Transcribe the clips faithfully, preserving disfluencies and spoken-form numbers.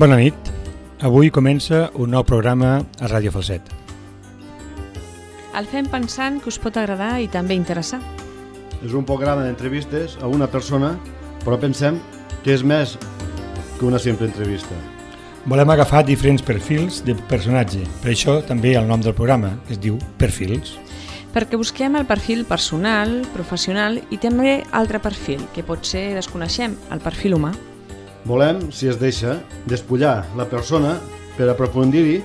Bona nit. Avui comença un nou programa a Ràdio Falset. El fem pensant que us pot agradar i també interessar. És un programa d'entrevistes a una persona, però pensem que és més que una simple entrevista. Volem agafar diferents perfils de personatge, per això també el nom del programa, que es diu Perfils. Perquè busquem el perfil personal, professional i també altre perfil, que potser desconeixem, el perfil humà. Volem, si es deixa, despullar la persona per aprofundir-hi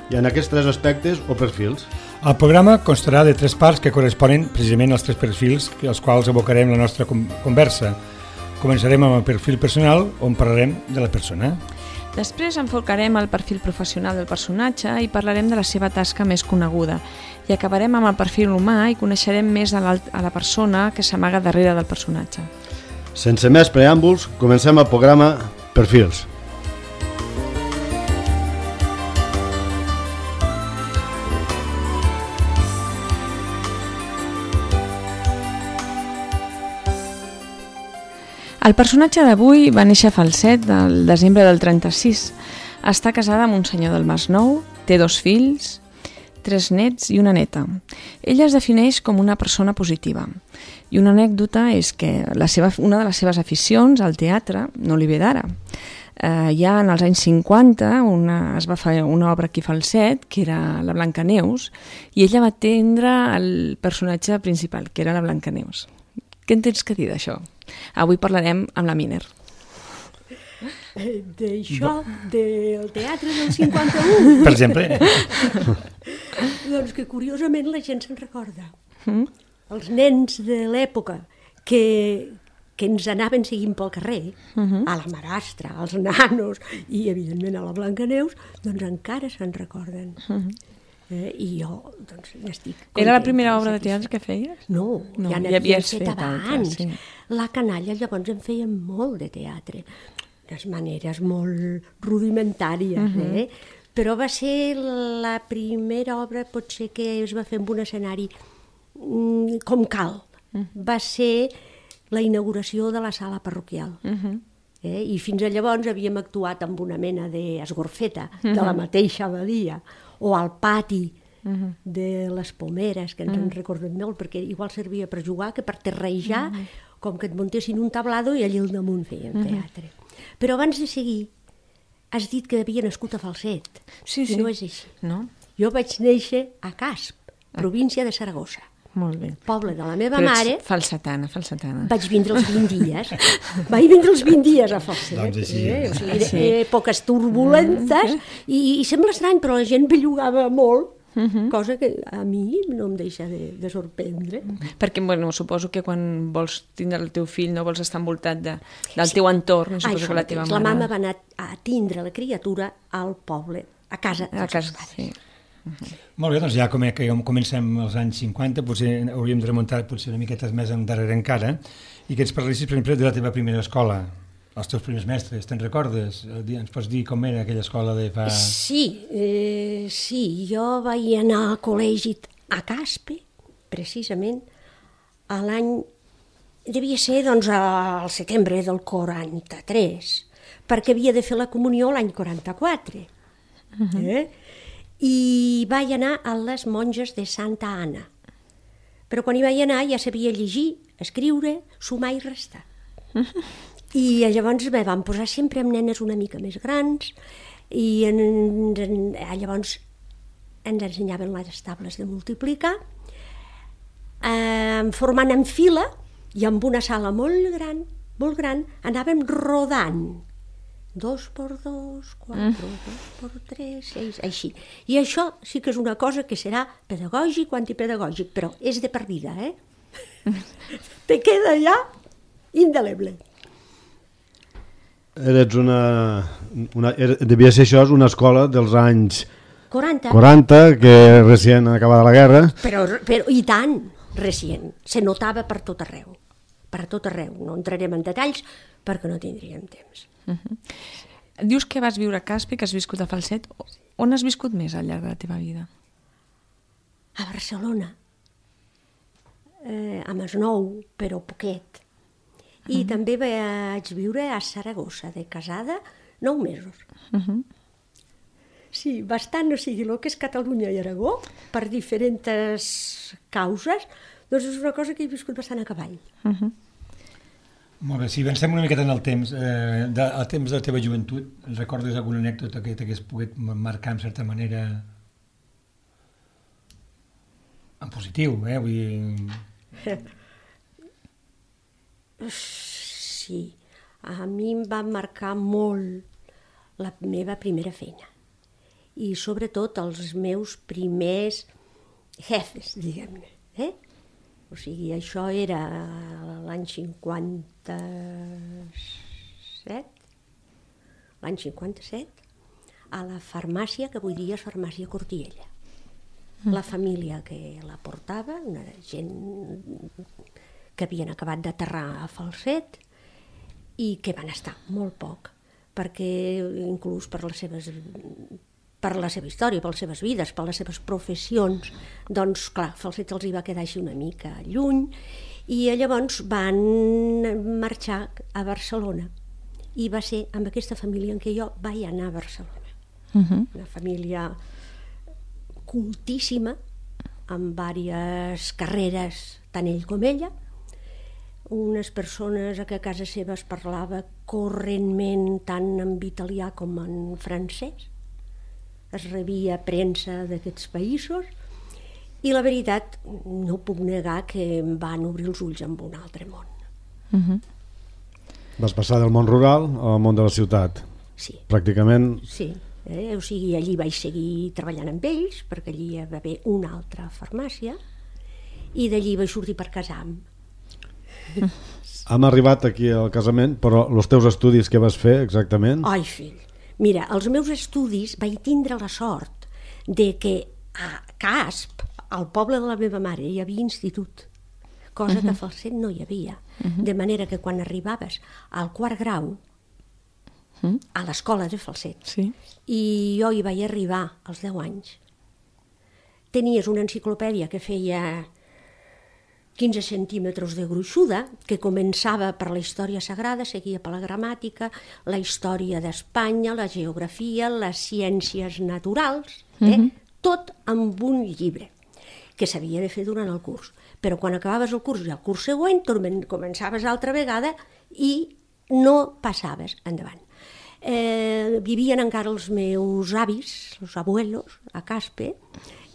i en aquests tres aspectes o perfils. El programa constarà de tres parts que corresponen precisament als tres perfils als quals abocarem la nostra conversa. Començarem amb el perfil personal, on parlarem de la persona. Després enfocarem el perfil professional del personatge i parlarem de la seva tasca més coneguda. I acabarem amb el perfil humà i coneixerem més a la, a la persona que s'amaga darrere del personatge. Sense més preàmbuls, comencem el programa Perfils. El personatge d'avui va néixer a Falset el desembre del trenta-sis. Està casada amb un senyor del Masnou, té dos fills, tres nets i una neta. Ella es defineix com una persona positiva. I una anècdota és que la seva, una de les seves aficions, al teatre, no li ve d'ara. Eh, ja en els anys cinquanta una, es va fer una obra aquí a Falset, que era la Blancaneus, i ella va atendre el personatge principal, que era la Blancaneus. Què en tens que dir d'això? Avui parlarem amb la Miner. Eh, d'això, del teatre del cinquanta-u. Per exemple. Doncs que curiosament la gent se'n recorda. Mm? Els nens de l'època que, que ens anaven seguint pel carrer, Uh-huh. a la Marastra, als nanos i evidentment a la Blancaneus, doncs encara se'n recorden. Uh-huh. Eh, I jo doncs n'estic contenta. Era la primera obra de teatre que feies? No, No, ja ja n'havíem havies fet fet abans. altres, sí. La canalla llavors en feien molt de teatre, unes maneres molt rudimentàries, Mhm. eh? Però va ser la primera obra potser que es va fer amb un escenari mm, com cal. Va ser la inauguració de la sala parroquial. Uh-huh. Eh? I fins a llavors havíem actuat amb una mena d'esgorfeta de la mateixa abadia, o al pati Uh-huh. de les Pomeres, que ens en recordem molt, perquè igual servia per jugar que per terrejar, com que et muntessin un tablado i allà al damunt feien teatre. Però abans de seguir, has dit que havia nascut a Falset. Sí, sí. I no és així. No? Jo vaig néixer a Casp, província de Saragossa, Molt bé. poble de la meva Però ets mare. falsetana, falsetana. Vaig vindre els vint dies. Vaig vindre els vint dies a Falset. Doncs així. Eh? O sigui, Sí. èpoques turbulentes, i, i sembla estrany, però la gent bellugava molt, cosa que a mi no em deixa de, de sorprendre. Perquè, bueno, suposo que quan vols tindre el teu fill no vols estar envoltat de, del teu entorn, i suposo Això que la teva mateix. mare... La mama va anar a tindre la criatura al poble, a casa A dels casa, seus pares. sí. Molt bé, doncs ja com que comencem als anys cinquanta, potser hauríem de remuntar potser una miqueta més endarrere encara, i que ens parlissis, per exemple, de la teva primera escola, els teus primers mestres, te'n recordes? Ens pots dir com era aquella escola de fa... Sí, eh, sí, jo vaig anar al col·legi a Caspe, precisament, a l'any... Devia ser, doncs, al setembre del quaranta-tres, perquè havia de fer la comunió l'any quaranta-quatre. Eh? I vaig anar a les monges de Santa Anna. Però quan hi vaig anar ja sabia llegir, escriure, sumar i restar. I llavors me van posar sempre amb nenes una mica més grans i en, en, llavors ens ensenyaven les tables de multiplicar, eh, formant en fila i amb una sala molt gran, molt gran, anàvem rodant. Dos per dos, quatre, mm. dos per tres, seis, així. I això sí que és una cosa que serà pedagògic o antipedagògic, però és de per vida, eh? Te queda ja indeleble. Eres una... una era, devia ser això una escola dels anys quaranta. quaranta, que recient acabada la guerra. Però, però i tant, recient. Se notava per tot arreu. Per tot arreu. No entrarem en detalls perquè no tindríem temps. Uh-huh. Dius que vas viure a Caspe, que has viscut a Falset. On has viscut més al llarg de la teva vida? A Barcelona. Eh, a Masnou, però poquet. I uh-huh. també vaig viure a Saragossa, de casada, nou mesos. Uh -huh. Sí, bastant, o sigui, el que és Catalunya i Aragó, per diferents causes, doncs és una cosa que he viscut bastant a cavall. Uh -huh. Molt bé, si avancem una miqueta en el temps, eh, de, el temps de la teva joventut, recordes alguna anècdota que t'hagués pogut marcar en certa manera en positiu, eh? Vull dir... Sí, a mi em va marcar molt la meva primera feina i sobretot els meus primers jefes, diguem-ne. Eh? O sigui, això era l'any cinquanta-set, l'any cinquanta-set, a la farmàcia, que avui dia és farmàcia Cortiella. La família que la portava, una gent que havien acabat d'aterrar a Falset i que van estar molt poc, perquè inclús per les seves... per la seva història, per les seves vides, per les seves professions, doncs, clar, Falset els hi va quedar així una mica lluny, i llavors van marxar a Barcelona. I va ser amb aquesta família en què jo vaig anar a Barcelona. Uh-huh. Una família cultíssima, amb diverses carreres, tant ell com ella, unes persones a què a casa seva es parlava correntment tant en italià com en francès, es rebia premsa d'aquests països i la veritat no puc negar que em van obrir els ulls en un altre món. Uh-huh. Vas passar del món rural al món de la ciutat. Sí. Pràcticament... Sí, eh? O sigui, allí vaig seguir treballant amb ells perquè allí hi va haver una altra farmàcia i d'allí vaig sortir per casar-me. Hem arribat aquí al casament, però els teus estudis què vas fer exactament? Ai, fill, mira, els meus estudis vaig tindre la sort de que a Casp, al poble de la meva mare, hi havia institut, cosa uh-huh. que a Falset no hi havia. Uh-huh. De manera que quan arribaves al quart grau, uh-huh. a l'escola de Falset, sí. i jo hi vaig arribar als deu anys, tenies una enciclopèdia que feia quinze centímetres de gruixuda, que començava per la història sagrada, seguia per la gramàtica, la història d'Espanya, la geografia, les ciències naturals, eh? Uh-huh. Tot amb un llibre, que s'havia de fer durant el curs. Però quan acabaves el curs i el curs següent, començaves altra vegada i no passaves endavant. Eh, vivien encara els meus avis, els abuelos, a Caspe,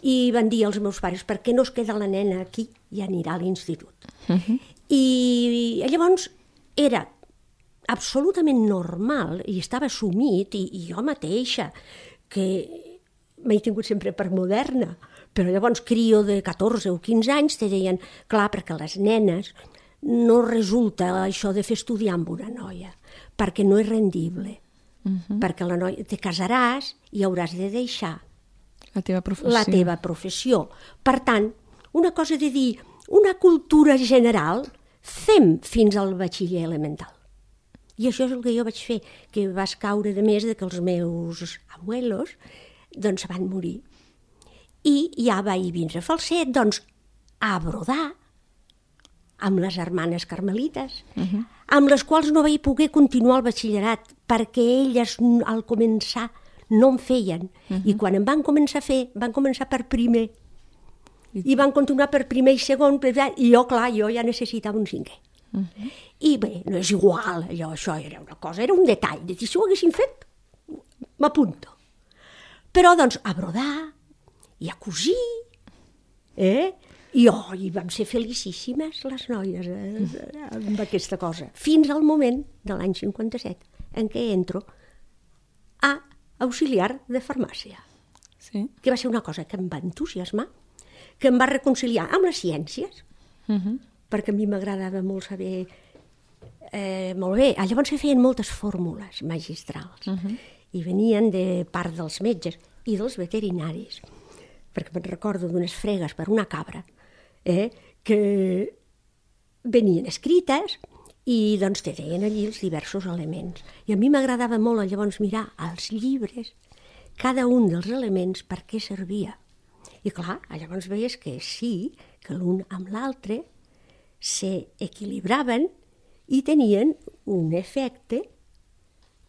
i van dir als meus pares, per què no es queda la nena aquí i anirà a l'institut? Uh-huh. I llavors era absolutament normal i estava assumit, i, i jo mateixa, que m'he tingut sempre per moderna, però llavors crio de catorze o quinze anys te deien, clar, perquè les nenes no resulta això de fer estudiar amb una noia, perquè no és rendible, uh-huh. perquè la noia te casaràs i hauràs de deixar la teva professió. La teva professió. Per tant, una cosa de dir, una cultura general, fem fins al batxiller elemental. I això és el que jo vaig fer, que vas caure de més de que els meus abuelos doncs van morir. I ja vaig vindre a Falset, doncs, a brodar amb les germanes carmelites, uh-huh. amb les quals no vaig poder continuar el batxillerat, perquè elles al començar no en feien, uh-huh. i quan em van començar a fer, van començar per primer, i van continuar per primer i segon, i jo, clar, jo ja necessitava un cinquè. Uh-huh. I bé, no és igual, allò, això era una cosa, era un detall, de dir, si ho haguessin fet, m'apunto. Però, doncs, a brodar, i a cosir, eh? I, oh, i vam ser felicíssimes les noies eh, amb aquesta cosa, fins al moment de l'any cinquanta-set, en què entro a auxiliar de farmàcia, sí. que va ser una cosa que em va entusiasmar, que em va reconciliar amb les ciències, uh-huh. perquè a mi m'agradava molt saber, eh, molt bé, llavors se feien moltes fórmules magistrals, uh-huh. i venien de part dels metges i dels veterinaris, perquè me'n recordo d'unes fregues per una cabra, eh, que venien escrites, i doncs te deien allí els diversos elements. I a mi m'agradava molt llavors mirar als llibres cada un dels elements per què servia. I clar, llavors veies que sí, que l'un amb l'altre s'equilibraven i tenien un efecte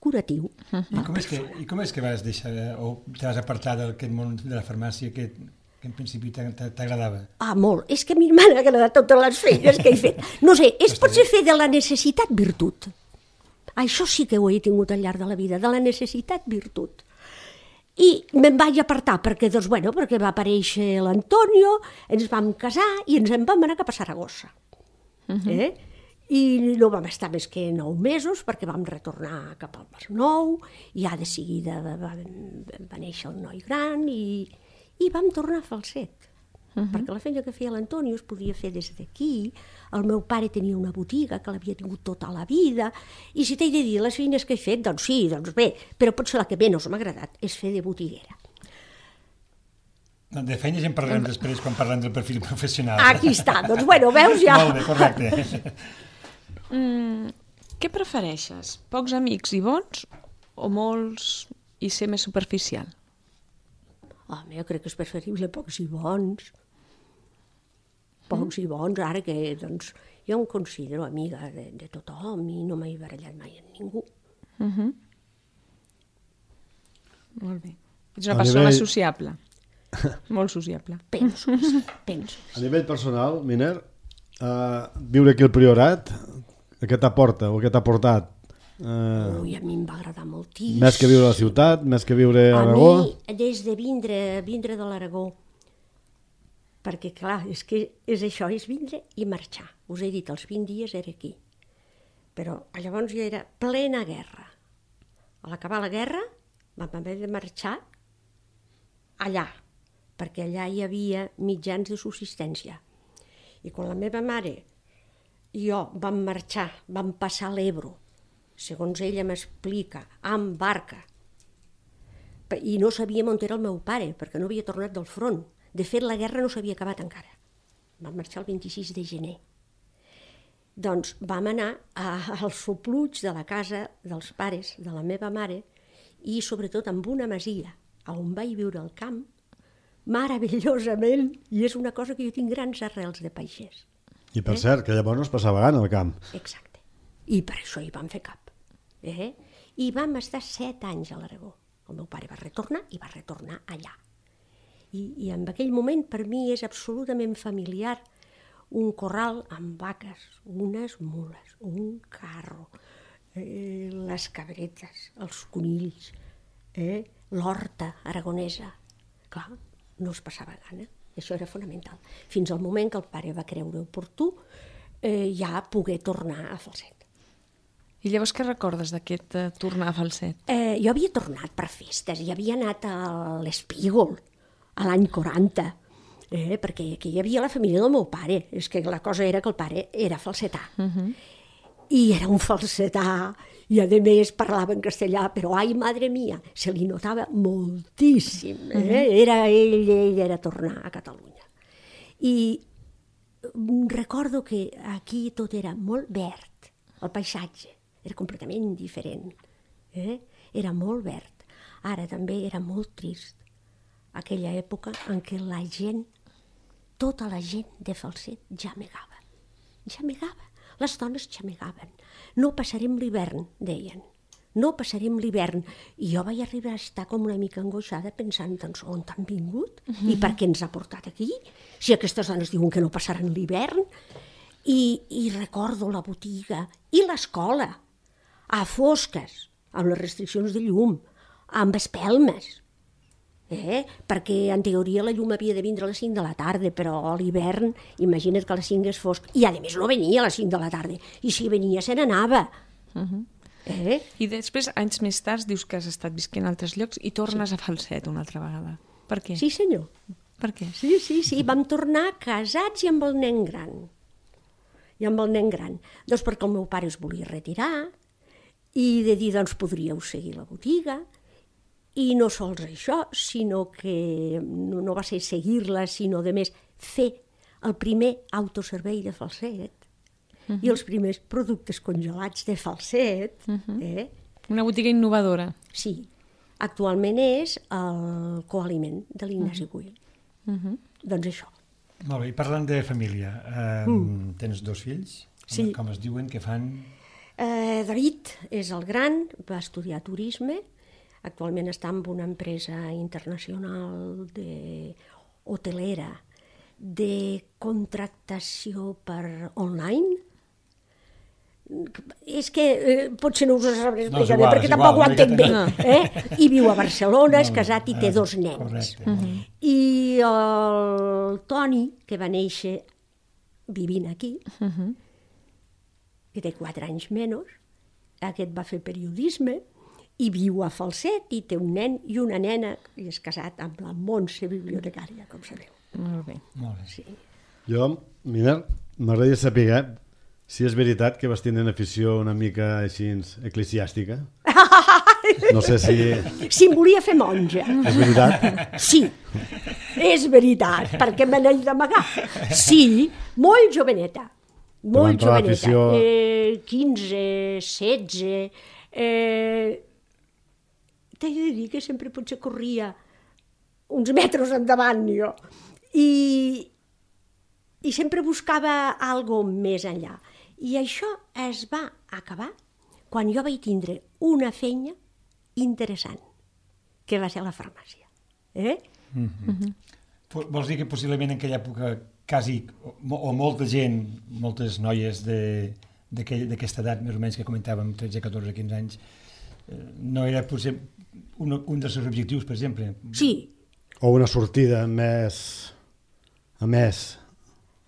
curatiu. I com, és que, I com és que vas deixar, o te vas apartar d'aquest món de la farmàcia que, que en principi t'agradava? Ah, molt. És que a mi m'han agradat totes les feines que he fet. No sé, és potser fer de la necessitat virtut. Això sí que ho he tingut al llarg de la vida, de la necessitat virtut. I me'n vaig apartar perquè, doncs, bueno, perquè va aparèixer l'Antonio, ens vam casar i ens en vam anar cap a Saragossa. Uh-huh. eh? I no vam estar més que nou mesos perquè vam retornar cap al Masnou i ja de seguida va, va, va néixer el noi gran i, i vam tornar a Falset. Uh-huh. Perquè la feina que feia l'Antonio es podia fer des d'aquí. El meu pare tenia una botiga que l'havia tingut tota la vida i si t'he de dir les feines que he fet, doncs sí, doncs bé, però potser la que menys m'ha agradat és fer de botiguera. De feines en parlarem després quan parlem del perfil professional. Aquí està, doncs bueno, veus ja. Molt bé, correcte. Mm, què prefereixes? Pocs amics i bons o molts i ser més superficial? Home, jo crec que és preferible pocs i bons. Pocs mm. i bons, ara que doncs, jo em considero amiga de, de tothom i no m'he barallat mai amb ningú. Uh-huh. Molt bé. Ets una a persona nivell... sociable. Molt sociable. Penso, penso. A nivell personal, Miner, uh, viure aquí al Priorat, què t'aporta o què t'ha portat? Uh, Ui, a mi em va agradar moltíssim. Més que viure a la ciutat, més que viure a Aragó? A mi, des de vindre, vindre de l'Aragó, perquè clar, és que és això, és vindre i marxar. Us he dit, els vint dies era aquí. Però llavors ja era plena guerra. A l'acabar la guerra vam haver de marxar allà, perquè allà hi havia mitjans de subsistència. I quan la meva mare i jo vam marxar, vam passar l'Ebro, segons ella m'explica, amb barca, i no sabíem on era el meu pare, perquè no havia tornat del front. De fet, la guerra no s'havia acabat encara. Vam marxar el vint-i-sis de gener. Doncs vam anar a, als sopluig de la casa dels pares de la meva mare i sobretot amb una masia on vaig viure al camp, meravellosament, i és una cosa que jo tinc grans arrels de pagès. I per eh? cert, que llavors no es passava gana al camp. Exacte. I per això hi vam fer cap. Eh? I vam estar set anys a l'Aragó. El meu pare va retornar i va retornar allà. I, i en aquell moment per mi és absolutament familiar un corral amb vaques, unes mules, un carro, eh, les cabretes, els conills, eh, l'horta aragonesa. Clar, no es passava gana. Això era fonamental. Fins al moment que el pare va creure oportú eh, ja poder tornar a Falset. I llavors què recordes d'aquest eh, tornar a Falset? Eh, jo havia tornat per festes i havia anat a l'Espígol a l'any quaranta, eh, perquè aquí hi havia la família del meu pare. És que la cosa era que el pare era falsetà. Uh-huh. I era un falsetà, i a més parlava en castellà, però ai, madre mia, se li notava moltíssim. Eh? Uh-huh. Era ell, ell era tornar a Catalunya. I recordo que aquí tot era molt verd, el paisatge era completament diferent. Eh? Era molt verd. Ara també era molt trist. Aquella època en què la gent, tota la gent de Falset xamegava. Xamegava. Les dones xamegaven. No passarem l'hivern, deien. No passarem l'hivern. I jo vaig arribar a estar com una mica angoixada pensant, doncs, on han vingut? Uh-huh. I per què ens ha portat aquí? Si aquestes dones diuen que no passaran l'hivern. I, i recordo la botiga i l'escola, a fosques, amb les restriccions de llum, amb espelmes. Eh? Perquè en teoria la llum havia de vindre a les cinc de la tarda, però a l'hivern, imagina't que a les cinc és fosc. I a més no venia a les cinc de la tarda. I si venia se n'anava. Uh-huh. eh? I després, anys més tard, dius que has estat visquent a altres llocs i tornes sí. a Falset una altra vegada. Per què? Sí, senyor. Per què? Sí, sí, sí. Vam tornar casats i amb el nen gran. I amb el nen gran. Doncs perquè el meu pare es volia retirar i de dir, doncs, podríeu seguir la botiga. I no sols això, sinó que no, no va ser seguir-la, sinó, de més, fer el primer autoservei de Falset uh-huh. i els primers productes congelats de Falset. Uh-huh. eh? Una botiga innovadora. Sí. Actualment és el coaliment de l'Ignasi uh-huh. Güell. Uh-huh. Doncs això. Molt bé, i parlant de família, eh, mm. tens dos fills? Sí. Com es diuen, què fan? Eh, David és el gran, va estudiar turisme, actualment està en una empresa internacional de hotelera de contractació per online. És que eh, potser no us ho sabré explicar no, bé, perquè tampoc ho entenc bé. Eh? I viu a Barcelona, és casat i té dos nens. Correcte. Uh-huh. I el Toni, que va néixer vivint aquí, uh-huh. que té quatre anys menys, aquest va fer periodisme, i viu a Falset, i té un nen i una nena, i és casat amb la Montse, bibliotecària, com sabeu. Molt bé. Molt bé. Sí. Jo, mira, m'agradaria saber eh, si és veritat que vas tenir una afició una mica així eclesiàstica. No sé si... Si em volia fer monja. És veritat? Sí, és veritat, perquè me n'he d'amagar. Sí, molt joveneta. Molt entrar joveneta. l'afició- Eh, quinze, setze... Eh... T'he de dir que sempre potser corria uns metres endavant jo. I, i sempre buscava algo més enllà. I això es va acabar quan jo vaig tindre una feina interessant, que va ser a la farmàcia. Eh? Vols dir que possiblement en aquella època quasi, o, o molta gent, moltes noies de- d'aquell- d'aquesta edat, més o menys que comentàvem, tretze, catorze, quinze anys, eh, no era potser un, un dels seus objectius, per exemple? Sí, O una sortida més... a més,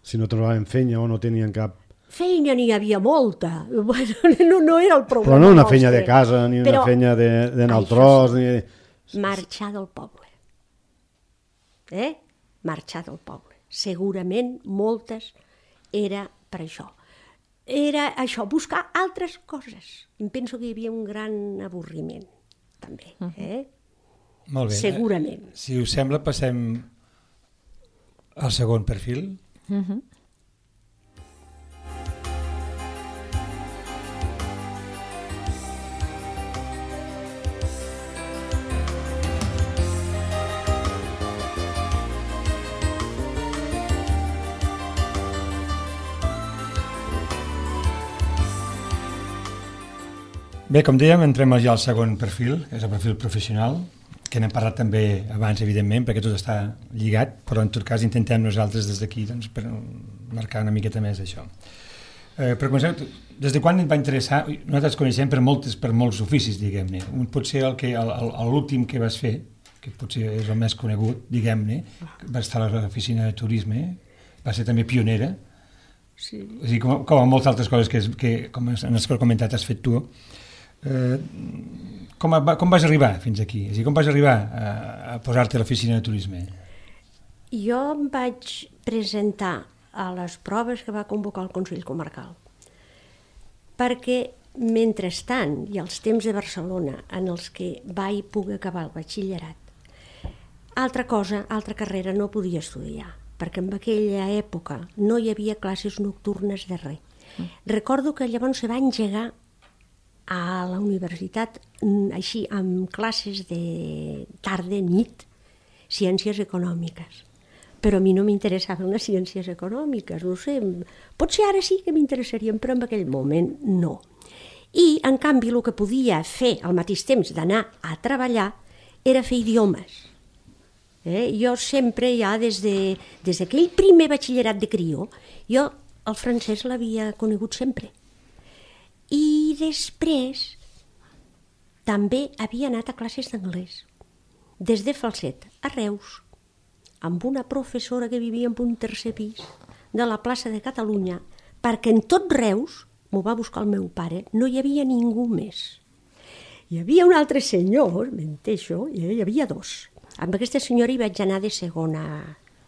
si no trobaven feina o no tenien cap... feina n'hi havia molta. Bueno, no, no era el problema. Però no una nostre. feina de casa, ni una Però feina de- d'anar al això tros, sí, ni... marxar del poble. Eh? Marxar del poble. Segurament moltes era per això. Era això, buscar altres coses. Em penso que hi havia un gran avorriment, també. Eh? Molt bé. Segurament. Eh, Si us sembla, passem al segon perfil. Mhm. Bé, com dèiem, entrem ja al segon perfil, que és el perfil professional, que n'hem parlat també abans, evidentment, perquè tot està lligat, però en tot cas intentem nosaltres des d'aquí doncs, per marcar una miqueta més això. Eh, per començar, des de quan et va interessar? Nosaltres coneixem per, moltes, per molts oficis, diguem-ne. Un pot ser el que, el, el, l'últim que vas fer, que potser és el més conegut, diguem-ne, va estar a l'oficina de turisme, va ser també pionera, Sí. és a dir, com, com a moltes altres coses que, que com en els que has comentat has fet tu. Eh, com, va, com vas arribar fins aquí? És a dir, com vas arribar a, a posar-te a l'oficina de turisme? Jo em vaig presentar a les proves que va convocar el Consell Comarcal, perquè mentrestant, i als temps de Barcelona, en els que vaig poder acabar el batxillerat, altra cosa, altra carrera no podia estudiar, perquè en aquella època no hi havia classes nocturnes de res. Mm. Recordo que llavors se va engegar a la universitat, així, amb classes de tarda, nit, ciències econòmiques. Però a mi no m'interessaven les ciències econòmiques, no sé, potser ara sí que m'interessarien, però en aquell moment no. I, en canvi, el que podia fer al mateix temps d'anar a treballar era fer idiomes. Eh? Jo sempre, ja des de, des d'aquell primer batxillerat de crió, jo el francès l'havia conegut sempre. I després també havia anat a classes d'anglès, des de Falset a Reus, amb una professora que vivia en un tercer pis de la plaça de Catalunya, perquè en tot Reus, m'ho va buscar el meu pare, no hi havia ningú més. Hi havia un altre senyor, menteixo, hi havia dos. Amb aquesta senyora hi vaig anar de segona,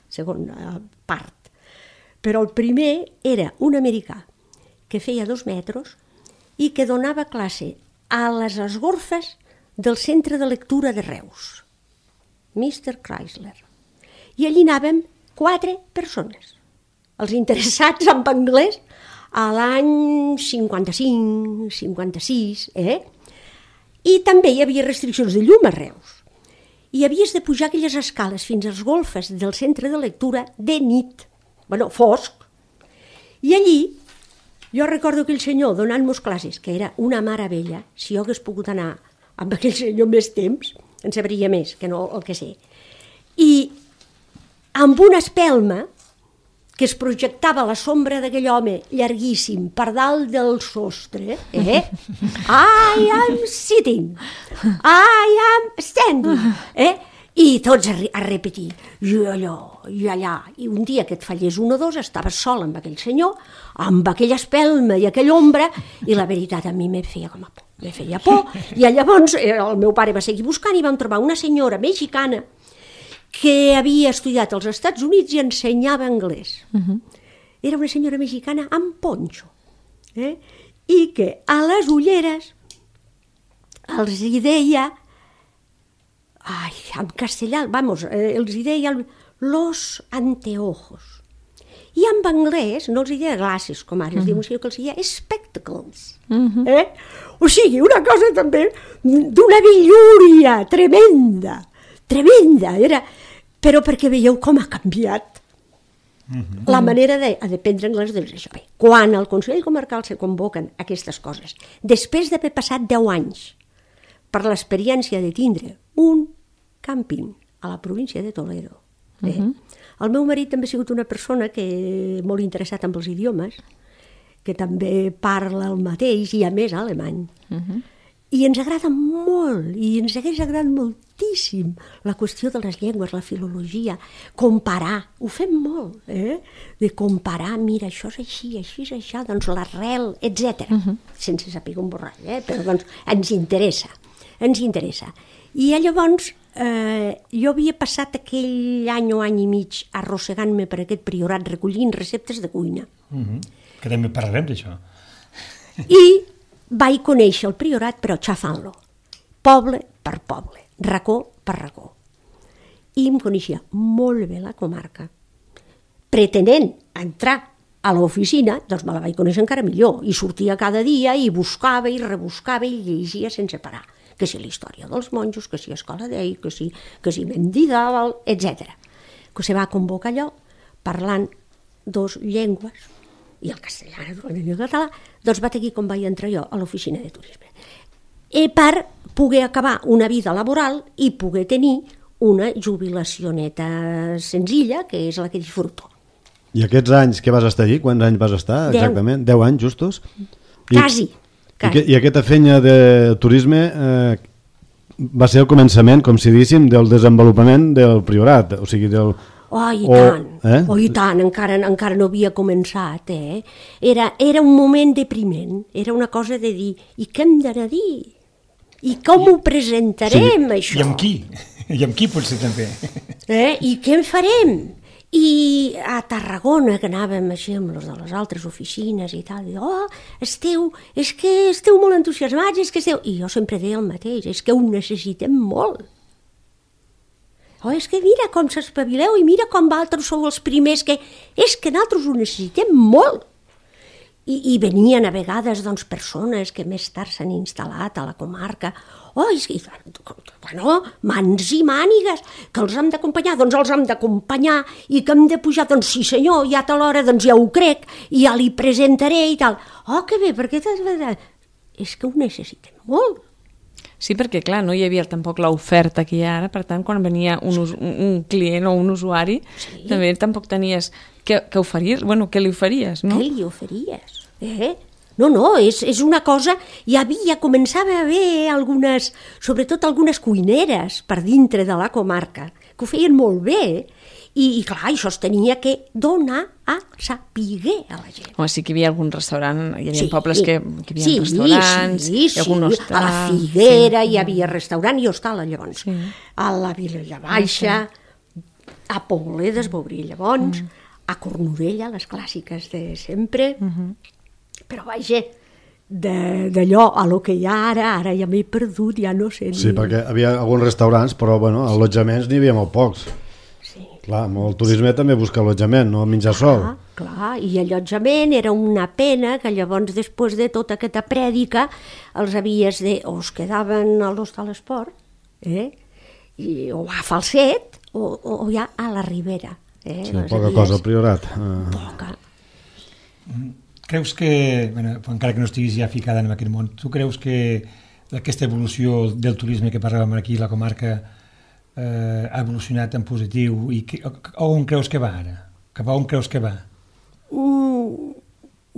segona part. Però el primer era un americà que feia dos metres i que donava classe a les esgorfes del Centre de Lectura de Reus, mister Chrysler. I allí anàvem quatre persones. Els interessats en anglès a l'any cinquanta-cinc, cinquanta-sis, eh? I també hi havia restriccions de llum a Reus. I havies de pujar aquelles escales fins als golfes del centre de lectura de nit, bueno, fosc. I allí Jo recordo aquell senyor donant-nos classes, que era una meravella. Si jo hagués pogut anar amb aquell senyor més temps, en sabria més que no el que sé. I amb una espelma que es projectava la sombra d'aquell home llarguíssim per dalt del sostre, eh? I am sitting, I am standing, eh? I tots a, a repetir, i allò, i allà. I un dia que et fallés un o dos, estaves sol amb aquell senyor, amb aquella espelma i aquella ombra, i la veritat a mi me feia com a por, me feia por. I llavors el meu pare va seguir buscant i vam trobar una senyora mexicana que havia estudiat als Estats Units i ensenyava anglès. Uh-huh. Era una senyora mexicana amb ponxo, eh? I que a les ulleres els hi deia, ai, en castellà, vamos, eh, els hi deia los anteojos. I en anglès no els hi deia glasses, com ara, uh-huh. es diu, sinó que els hi deia spectacles. Uh-huh. Eh? O sigui, una cosa també d'una bellúria tremenda, tremenda, era... però perquè veieu com ha canviat uh-huh. la manera de, de prendre anglès. Doncs això. Bé, quan al Consell Comarcal se convoquen aquestes coses, després d'haver passat deu anys per l'experiència de tindre un càmping a la província de Toledo, eh? uh-huh. el meu marit també ha sigut una persona que molt interessat en els idiomes, que també parla el mateix i a més alemany. Uh-huh. I ens agrada molt, i ens hagués agradat moltíssim la qüestió de les llengües, la filologia, comparar, ho fem molt, eh? de comparar, mira, això és així, així és això, doncs l'arrel, etcètera. Uh-huh. Sense saber un borrall, eh? Però doncs ens interessa, ens interessa. I llavors eh, jo havia passat aquell any o any i mig arrossegant-me per aquest priorat recollint receptes de cuina. Uh-huh. Que també parlarem d'això. I vaig conèixer el priorat, però xafant-lo, poble per poble, racó per racó. I em coneixia molt bé la comarca. Pretenent entrar a l'oficina, doncs me la vaig conèixer encara millor, i sortia cada dia i buscava i rebuscava i llegia sense parar. Que si la història dels monjos, que si Escola d'Ei, que si, que si Mendidàval, etcètera. Que se va convocar allò parlant dos llengües, i el castellà, naturalment, i el català, doncs va tenir com vaig entrar jo a l'oficina de turisme. I per poder acabar una vida laboral i poder tenir una jubilació neta senzilla, que és la que disfruto. I aquests anys que vas estar allí, quants anys vas estar exactament? Deu anys justos? I, quasi. I, I aquesta feina de turisme eh, va ser el començament, com si diguéssim, del desenvolupament del priorat, o sigui, del... Oh, i o, tant, eh? oh, i tant, encara, encara no havia començat, eh? Era, era un moment depriment, era una cosa de dir, i què hem d'anar a dir? I com I, ho presentarem, sí, això? I amb qui? I amb qui potser també? Eh? I què en farem? I a Tarragona, que anàvem així amb les de les altres oficines i tal, i oh, esteu, és que esteu molt entusiasmats, és que esteu... I jo sempre deia el mateix, és que ho necessitem molt. Oh, és que mira com s'espavileu i mira com vosaltres sou els primers que... És que nosaltres ho necessitem molt. I, i venien a vegades doncs, persones que més tard s'han instal·lat a la comarca. Oh, és que... Bueno, mans i mànigues, que els hem d'acompanyar, doncs els hem d'acompanyar, i que hem de pujar, doncs sí senyor, ja a tal hora, doncs ja ho crec, i ja li presentaré i tal. Oh, que bé, perquè... És que ho necessitem molt. Sí, perquè, clar, no hi havia tampoc l'oferta que hi ha ara, per tant, quan venia un, us, un client o un usuari, sí. també tampoc tenies què, què oferir, bueno, què li oferíes, no? Què li oferíes? Eh? No, no, és, és una cosa... Hi havia, començava a haver algunes, sobretot algunes cuineres per dintre de la comarca, que ho feien molt bé, i, i clar, això es tenia que donar a sapiguer a la gent. Home, sí que hi havia algun restaurant, hi havia sí, pobles que, que hi havia sí, restaurants, sí, sí, i algun hostal. A la Figuera sí. hi havia restaurant i hostal, llavors. Sí. A la Vilella Baixa, sí. a Pobledes, Bobrí, llavors, mm. a Cornudella, les clàssiques de sempre, mm-hmm. però vaja, d'allò a lo que hi ha ara, ara ja m'he perdut, ja no sé. Sí, ni... perquè havia alguns restaurants, però bueno, allotjaments n'hi havia molt pocs. Clar, el turisme també busca allotjament, no menjar sol. Clar, clar, i allotjament era una pena que llavors, després de tota aquesta prèdica, els havies de... o es quedaven a l'Hostal Esport, eh? I, o a Falset, o, o, o ja a la Ribera. Eh? Sí, poca havies... cosa, al Priorat. Poca. creus que, bueno, encara que no estiguis ja ficada en aquest món, tu creus que aquesta evolució del turisme que parlàvem aquí a la comarca eh, ha evolucionat en positiu i que, on creus que va ara? Cap a on creus que va? Mm,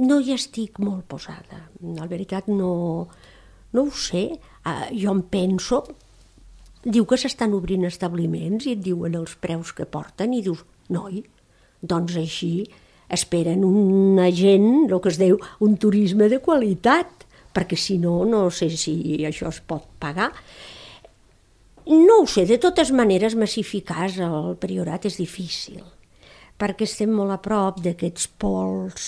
no hi estic molt posada. La veritat no, no ho sé. Uh, jo em penso... Diu que s'estan obrint establiments i et diuen els preus que porten i dius, noi, doncs així esperen una gent, el que es diu, un turisme de qualitat, perquè si no, no sé si això es pot pagar. No ho sé, de totes maneres massificar el Priorat és difícil, perquè estem molt a prop d'aquests pols...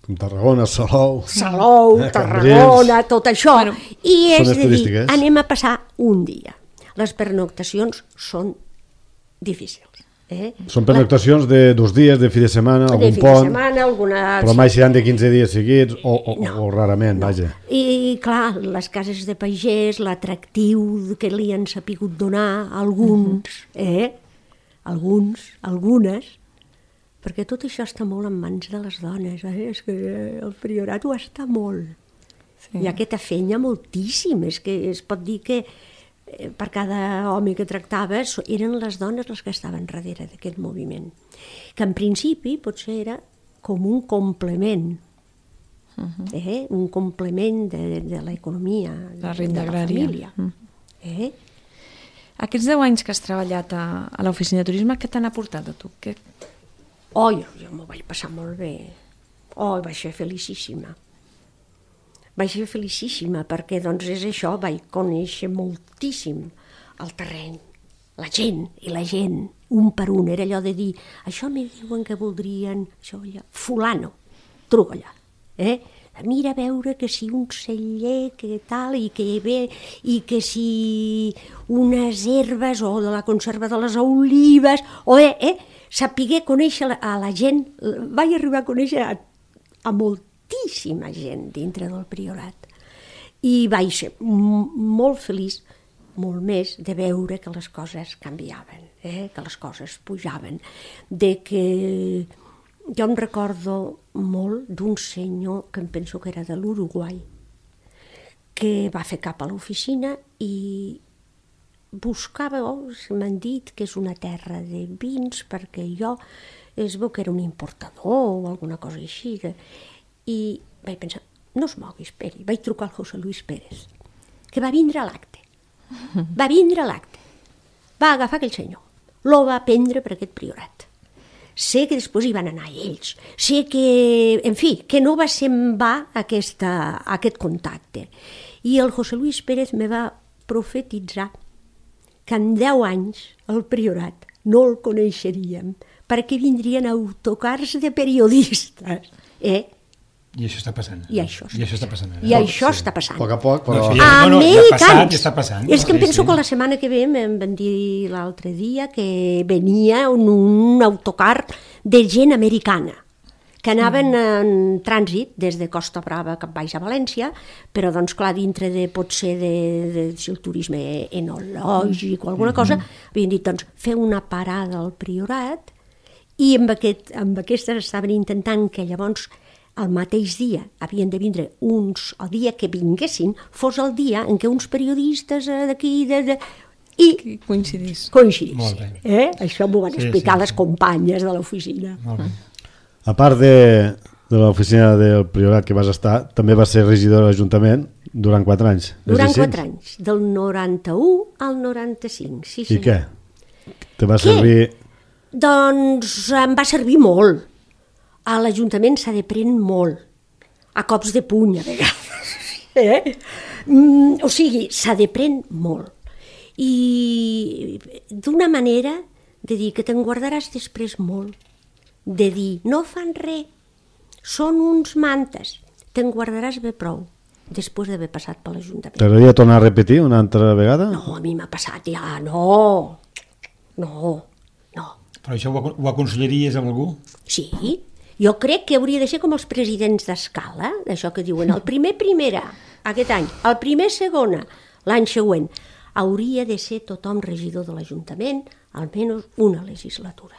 Com Tarragona, Salou... Salou, eh, Tarragona, tot això. Bueno, I és zones de dir, turístiques. anem a passar un dia. Les pernoctacions són difícils. Eh? Són pernoctacions de dos dies, de fi de setmana, de algun fi pont, de setmana, alguna... però mai seran de quinze dies seguits o, o, No, o rarament, no. vaja. I clar, les cases de pagès, l'atractiu que li han sapigut donar a alguns, eh? Alguns, algunes, perquè tot això està molt en mans de les dones, eh? És que el Priorat ho està molt. Sí. I aquest afenya moltíssim, és que es pot dir que eh, per cada home que tractava eren les dones les que estaven darrere d'aquest moviment, que en principi potser era com un complement, uh-huh. eh? un complement de, de l'economia, de, La renda de la agrària. família. Mm. Eh? Aquests deu anys que has treballat a, a l'oficina de turisme, què t'han aportat a tu? Què... Oh, jo, jo m'ho vaig passar molt bé. Oh, vaig ser felicíssima. Vaig ser felicíssima perquè, doncs, és això, vaig conèixer moltíssim el terreny, la gent i la gent, un per un. Era allò de dir, això me diuen que voldrien, això allà, fulano, truco allà, eh? Mira a veure que si un celler, que tal, i que ve, i que si unes herbes, o de la conserva de les olives, o eh, eh? Sapiguer conèixer a la gent, vaig arribar a conèixer a, a moltíssima gent dintre del Priorat. I vaig ser molt feliç, molt més, de veure que les coses canviaven, eh? Que les coses pujaven, de que jo em recordo molt d'un senyor que em penso que era de l'Uruguai, que va fer cap a l'oficina i buscava, oh, m'han dit que és una terra de vins, perquè jo es veu que era un importador o alguna cosa així. I vaig pensar, no es mogui, esperi. Vaig trucar al José Luis Pérez, que va vindre a l'acte. Va vindre a l'acte. Va agafar aquell senyor. Lo va prendre per aquest Priorat. Sé que després hi van anar ells. Sé que, en fi, que no va ser en va aquesta, aquest contacte. I el José Luis Pérez me va profetitzar que en deu anys el Priorat no el coneixeríem perquè vindrien autocars de periodistes. Eh? I això està passant. I això està, I això està passant. I això sí. està passant. A poc a poc, però... No, sí, ja, no, no, ja ha passat, ja està passant. És que em Sí, penso sí. que la setmana que ve em van dir l'altre dia que venia un, un autocar de gent americana que anaven en trànsit des de Costa Brava cap baix a València, però doncs clar, dintre de potser de, de, de el turisme enològic o alguna cosa, havien dit doncs fer una parada al Priorat i amb, aquest, amb aquestes estaven intentant que llavors el mateix dia havien de vindre uns, el dia que vinguessin fos el dia en què uns periodistes d'aquí de, de, i Qui coincidís. coincidissin. Molt bé. Eh? Això m'ho van Sí, explicar sí, les sí. companyes de l'oficina. Molt bé. A part de, de l'oficina del Priorat que vas estar, també vas ser regidor de l'Ajuntament durant quatre anys. És Durant així? quatre anys, del noranta-u al noranta-cinc, sí I senyor. què? Te va Què? servir... Doncs em va servir molt. A l'Ajuntament s'ha de prendre molt, a cops de puny a vegades. Eh? Mm, o sigui, s'ha de prendre molt. I d'una manera de dir que te'n guardaràs després molt, de dir, no fan res, són uns mantes, te'n guardaràs bé prou, després d'haver passat per l'Ajuntament. T'agradaria tornar a repetir una altra vegada? No, a mi m'ha passat ja, no, no, no. Però això ho, ho aconsellaries a algú? Sí, jo crec que hauria de ser com els presidents d'escala, d'això que diuen, el primer primera, aquest any, el primer segona, l'any següent. Hauria de ser tothom regidor de l'Ajuntament, almenys una legislatura.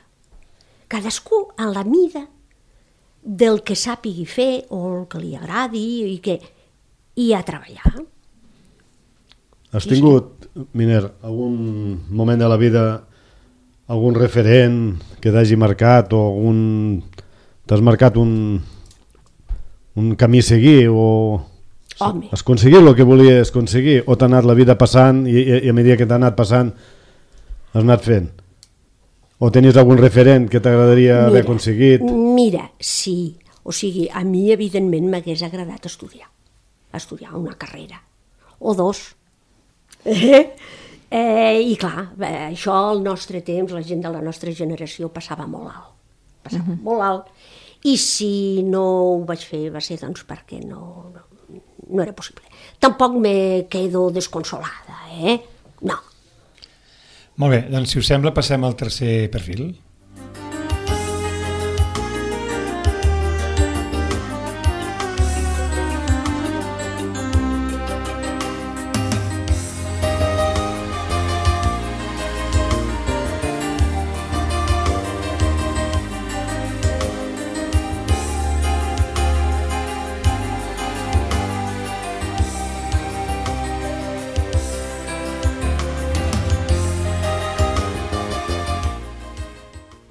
Cadascú a la mida del que sàpigui fer o el que li agradi i, que, i a treballar. Has tingut, Miner, algun moment de la vida, algun referent que t'hagi marcat o algun... t'has marcat un, un camí a seguir o Home. has aconseguit el que volies aconseguir o t'ha anat la vida passant i, i, i a mesura que t'ha anat passant has anat fent? O tenies algun referent que t'agradaria haver aconseguit? Mira, sí. O sigui, a mi, evidentment, m'hagués agradat estudiar. Estudiar una carrera. O dos. Eh? Eh, I clar, eh, això al nostre temps, la gent de la nostra generació passava molt alt. Passava uh-huh. molt alt. I si no ho vaig fer va ser doncs perquè no, no, no era possible. Tampoc me quedo desconsolada, eh? No. Molt bé, doncs si us sembla passem al tercer perfil.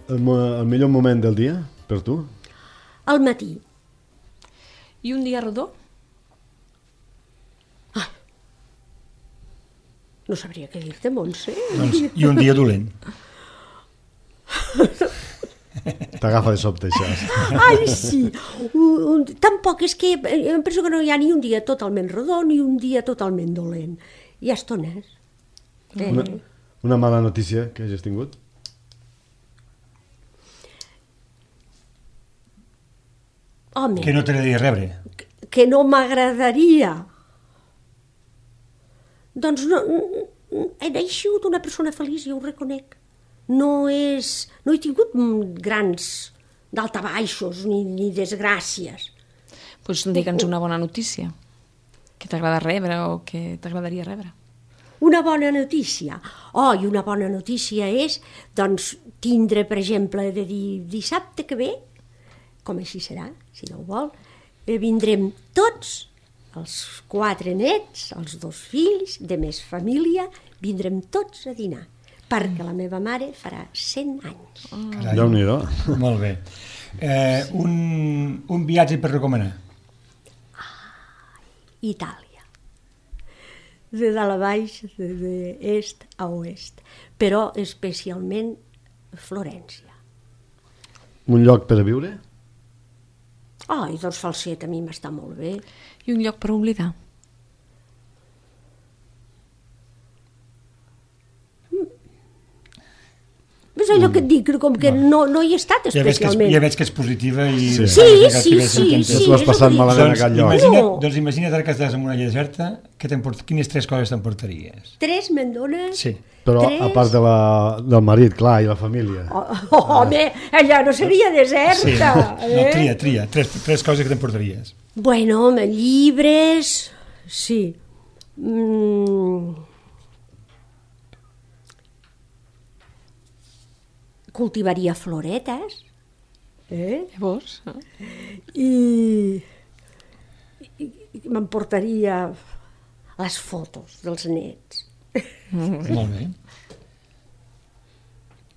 El, el millor moment del dia, per tu? Al matí. I un dia rodó? Ah, no sabria què dir-te, Montse. Doncs, I un dia dolent. T'agafa de sobte, això. Ai, sí. Un, un, tampoc és que... Em penso que no hi ha ni un dia totalment rodó ni un dia totalment dolent. Hi ha estones. Eh? Una, una mala notícia que hagis tingut? Home, Que no t'agradaria rebre. que no m'agradaria. Doncs no, he sigut una persona feliç, jo ho reconec. No, és, no he tingut grans daltabaixos ni, ni desgràcies. Doncs digue'ns una bona notícia que t'agrada rebre o que t'agradaria rebre. Una bona notícia. Oh, i una bona notícia és doncs, tindre, per exemple, de dir dissabte que ve, com així serà, si no ho vol, eh, vindrem tots, els quatre nets, els dos fills, de més família, vindrem tots a dinar, perquè la meva mare farà cent anys. Carai. Déu-n'hi-do. Molt bé. Eh, un, un viatge per recomanar. Itàlia. De dalt a baix, d'est a oest, però especialment Florència. Un lloc per a viure? Ai, doncs Falset a mi m'està molt bé. I un lloc per oblidar? És allò que et dic, com que no, no hi he estat Ja veig, que és, especialment. ja veig que és positiva i... Sí. Sí, sí, sí, No sí. t'ho has passat malament a Doncs, cap lloc. imagina't, No. doncs imagina't ara que estàs en una illa deserta, que quines tres coses t'emportaries? Tres me'n dones? Sí. Però Tres? a part de la, del marit, clar, i la família. Oh, oh, home, allà no seria deserta. Sí. No, Eh? tria, tria. Tres, tres coses que t'emportaries. Bueno, home, llibres... Sí. Mm. Cultivaria floretes. Eh? Llavors? I, i, i m'emportaria les fotos dels nets. Molt bé.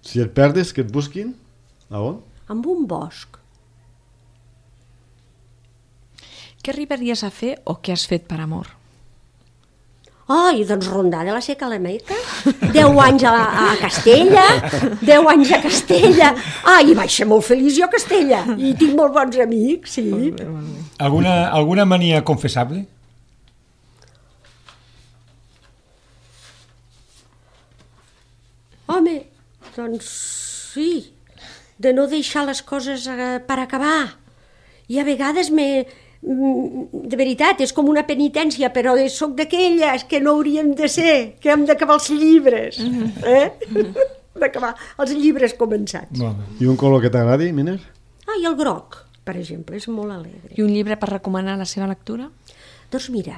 Si et perdes, que et busquin? A on? Amb un bosc. Què arribaries a fer o què has fet per amor? Ai, doncs rondar de la Seca a la Meca. Deu anys a, a Castella, deu anys a Castella. Ai, vaig ser molt feliç jo a Castella. I tinc molt bons amics, sí. Alguna, alguna mania confessable? Home, doncs sí, de no deixar les coses eh, per acabar. I a vegades me... De veritat, és com una penitència, però soc d'aquelles que no hauríem de ser, que hem d'acabar els llibres. Eh? D'acabar els llibres començats. Molt bé. I un color que t'agradi, Miner? Ah, i el groc, per exemple, és molt alegre. I un llibre per recomanar la seva lectura? Doncs mira,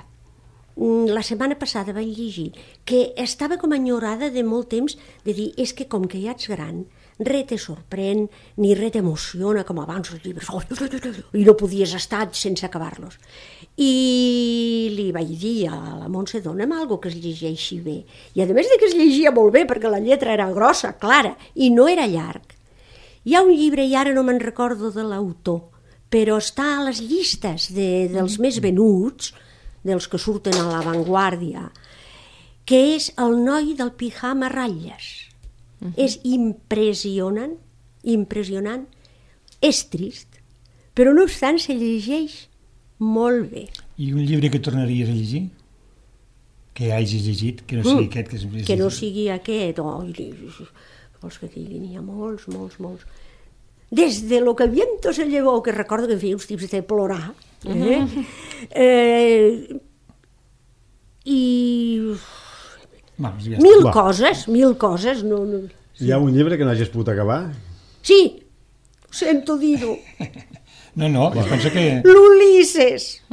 la setmana passada vaig llegir que estava com enyorada de molt temps de dir, és que com que ja ets gran, res te sorprèn, ni res t'emociona, com abans els llibres, oh, i no podies estar sense acabar-los. I li vaig dir a la Montse, dona'm alguna que es llegeixi bé. I a més de que es llegia molt bé, perquè la lletra era grossa, clara, i no era llarg. Hi ha un llibre, i ara no me'n recordo de l'autor, però està a les llistes de, dels més venuts, dels que surten a l'avantguàrdia, que és El noi del pijama a ratlles. Uh -huh. És impressionant, impressionant, és trist, però no obstant se llegeix molt bé. I un llibre que tornaries a llegir? Que hagis llegit, que no sigui mm, aquest? Que, és... que no sigui aquest, oh, vols que digui, n'hi ha molts, molts, molts. Des de Lo que el viento se llevó, que recordo que em feia uns tips de plorar, eh? Mm-hmm. eh i... Va, ja mil Va. coses, mil coses. No, no, sí. Hi ha un llibre que no hagis pogut acabar? Sí, sento dir-ho. No, no, jo penso que... L'Ulisses.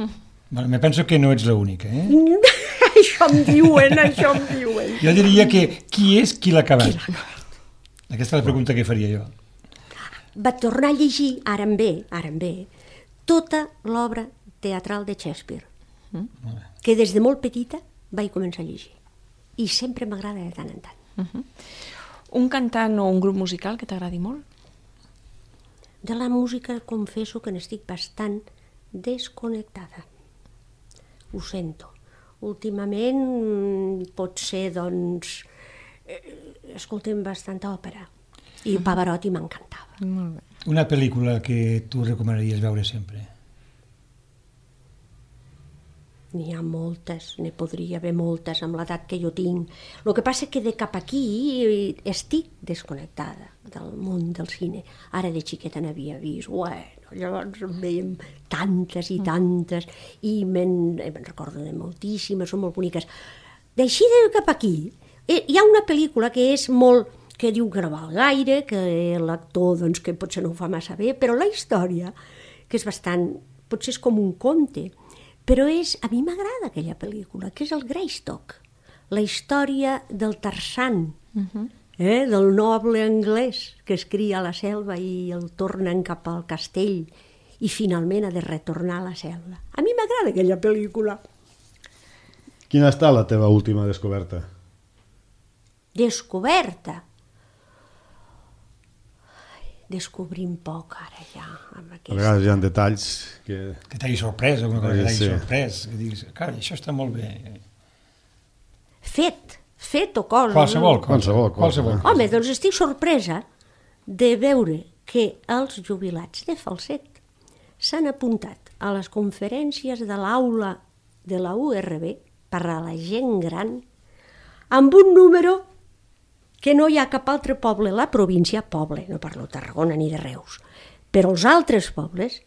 Bueno, me penso que no ets l'única, eh? Això em diuen, això em diuen. Jo diria que qui és qui l'ha acabat? Aquesta és la pregunta que faria jo. Va tornar a llegir, ara em ve, ara em ve, tota l'obra teatral de Shakespeare, mm? que des de molt petita vaig començar a llegir. I sempre m'agrada de tant en tant. Uh-huh. Un cantant o un grup musical que t'agradi molt? De la música confesso que n'estic bastant desconnectada. Ho sento. Últimament pot ser, doncs, eh, escoltem bastanta òpera. I Pavarotti m'encantava. Molt bé. Una pel·lícula que tu recomanaries veure sempre? N'hi ha moltes, ne podria haver moltes amb l'edat que jo tinc. El que passa és que de cap aquí estic desconnectada del món del cine. Ara de xiqueta n'havia vist, bueno, llavors en veiem tantes i tantes, i me'n me recordo de moltíssimes, són molt boniques. D'així de cap aquí, hi ha una pel·lícula que és molt, que diu que no val gaire, que l'actor doncs, que potser no ho fa massa bé, però la història, que és bastant, potser és com un conte, però és, a mi m'agrada aquella pel·lícula, que és el Greystock, la història del Tarzan, uh-huh. eh, del noble anglès que es cria a la selva i el tornen cap al castell i finalment ha de retornar a la selva. A mi m'agrada aquella pel·lícula. Quina està la teva última descoberta? Descoberta? Descobrim poc ara ja amb aquesta... A vegades hi ha detalls que... Que t'hagi sorprès, alguna cosa sí, que t'hagi sí. sorprès, que diguis, carai, això està molt bé. Fet, fet o cosa. Qualsevol cosa. Qualsevol cosa. Qualsevol cosa. Home, doncs estic sorpresa de veure que els jubilats de Falset s'han apuntat a les conferències de l'aula de la U R B per a la gent gran amb un número que no hi ha cap altre poble a la província, poble, no parlo de Tarragona ni de Reus, però els altres pobles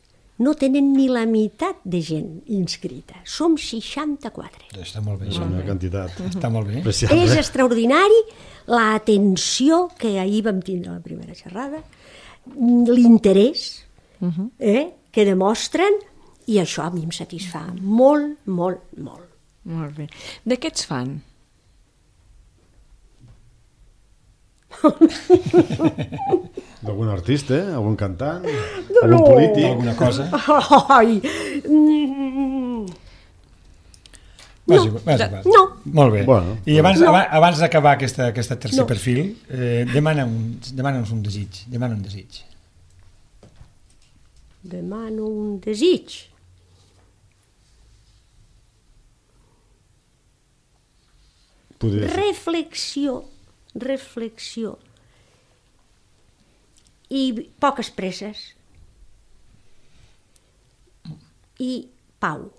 no tenen ni la meitat de gent inscrita. Som seixanta-quatre. Està molt bé. És una quantitat. Està molt bé. Apreciable. És extraordinari l'atenció que ahir vam tindre a la primera xerrada, l'interès uh-huh. eh, que demostren, i això a mi em satisfà molt, molt, molt. Molt bé. De què ets fan? D'algun artista, algun cantant, No, algun no. polític. Alguna cosa? Ai! Mm, Vas igual, vas igual. no. Molt bé. Bueno, I abans, no. abans, abans d'acabar aquesta, aquesta tercer No. perfil, eh, demana'ns demana un desig. Demana un desig. Demano un desig. Podria ser. Reflexió, reflexió. I poques presses. I pau.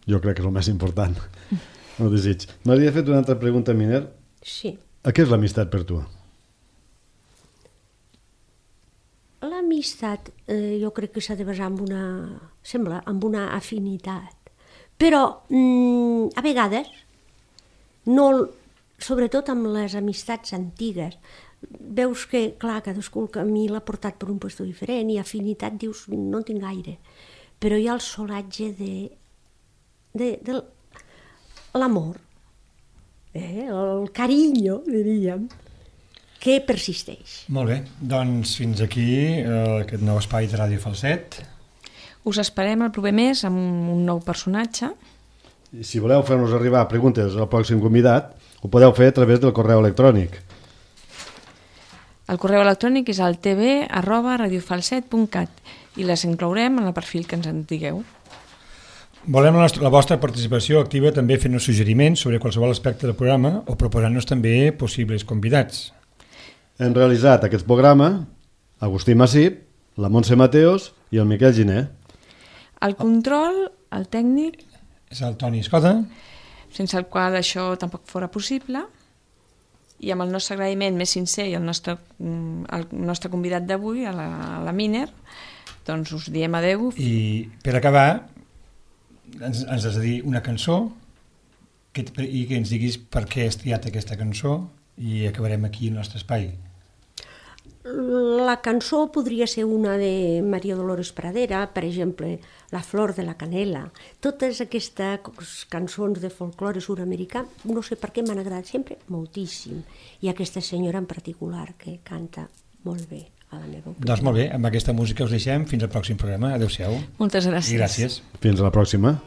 Jo crec que és el més important. El desig. M'havia fet una altra pregunta, Miner. Sí. A què és l'amistat per tu? L'amistat eh, jo crec que s'ha de basar en una, sembla, en una afinitat. Però mm, a vegades, no, sobretot amb les amistats antigues, veus que, clar, cadascú el camí l'ha portat per un lloc diferent i afinitat dius, no en tinc gaire. Però hi ha el solatge de, de, de l'amor, eh? El carinyo, diríem, que persisteix. Molt bé, doncs fins aquí eh, aquest nou espai de Ràdio Falset. Us esperem el proper mes amb un nou personatge. I si voleu fer-nos arribar preguntes al pròxim convidat, ho podeu fer a través del correu electrònic. El correu electrònic és el tv arroba radiofalset punt cat i les inclourem en el perfil que ens en digueu. Volem la, nostra, la vostra participació activa també fent-nos suggeriments sobre qualsevol aspecte del programa o proposant-nos també possibles convidats. Hem realitzat aquest programa Agustí Massip, la Montse Mateos i el Miquel Giner. El control, el tècnic... És el Toni Escoda. Sense el qual això tampoc fora possible. I amb el nostre agraïment més sincer i el nostre, el nostre convidat d'avui, a la, a la Miner, doncs us diem adeu. I per acabar, ens, ens has de dir una cançó que, i que ens diguis per què has triat aquesta cançó i acabarem aquí el nostre espai. La cançó podria ser una de Maria Dolores Pradera, per exemple, La flor de la canela. Totes aquestes cançons de folklore sud-americà, no sé per què m'han agradat sempre moltíssim. I aquesta senyora en particular, que canta molt bé a la meva opinió. Doncs molt bé, amb aquesta música us deixem. Fins al pròxim programa. Adéu-siau. Moltes gràcies. I gràcies. Fins a la pròxima.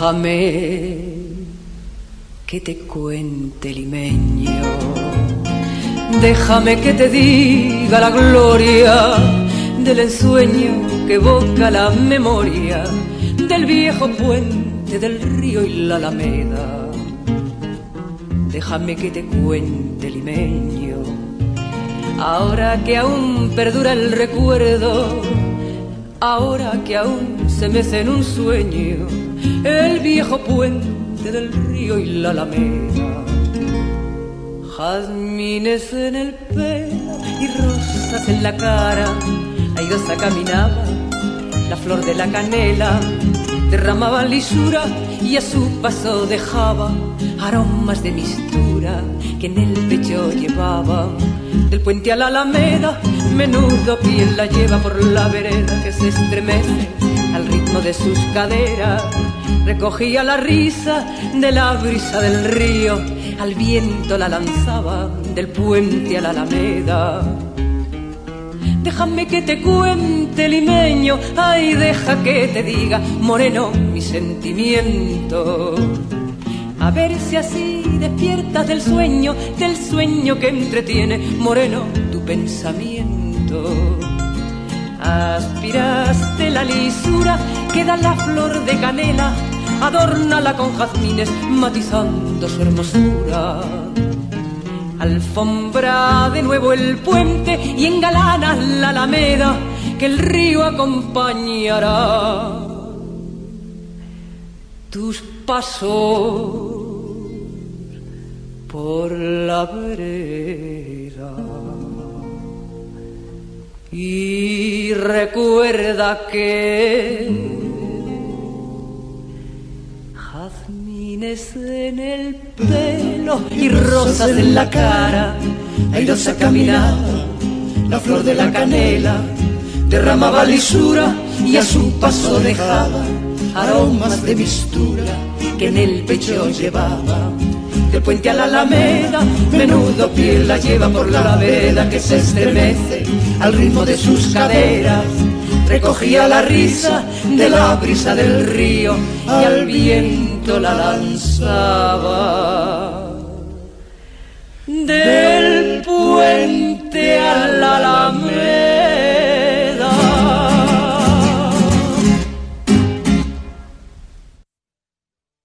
Déjame que te cuente, limeño, déjame que te diga la gloria del ensueño que evoca la memoria del viejo puente del río y la alameda. Déjame que te cuente, limeño, ahora que aún perdura el recuerdo, ahora que aún se mece en un sueño el viejo puente del río y la alameda. Jazmines en el pelo y rosas en la cara, airosa caminaba la flor de la canela, derramaba lisura y a su paso dejaba aromas de mistura que en el pecho llevaba. Del puente a la alameda, menudo piel la lleva por la vereda que se estremece al ritmo de sus caderas. Recogía la risa de la brisa del río, al viento la lanzaba del puente a la alameda. Déjame que te cuente, limeño, ay, deja que te diga, moreno, mi sentimiento. A ver si así despiertas del sueño, del sueño que entretiene, moreno, tu pensamiento. Aspiraste la lisura que da la flor de canela, adórnala con jazmines matizando su hermosura. Alfombra de nuevo el puente y engalana la alameda que el río acompañará. Tus pasos por la vereda. Y recuerda que jazmines en el pelo y rosas en la cara, airosa caminaba la flor de la canela, derramaba lisura y a su paso dejaba aromas de mistura que en el pecho llevaba. Del puente a la alameda, menudo piel la lleva por la vereda que se estremece al ritmo de sus caderas. Recogía la risa de la brisa del río y al viento la lanzaba. De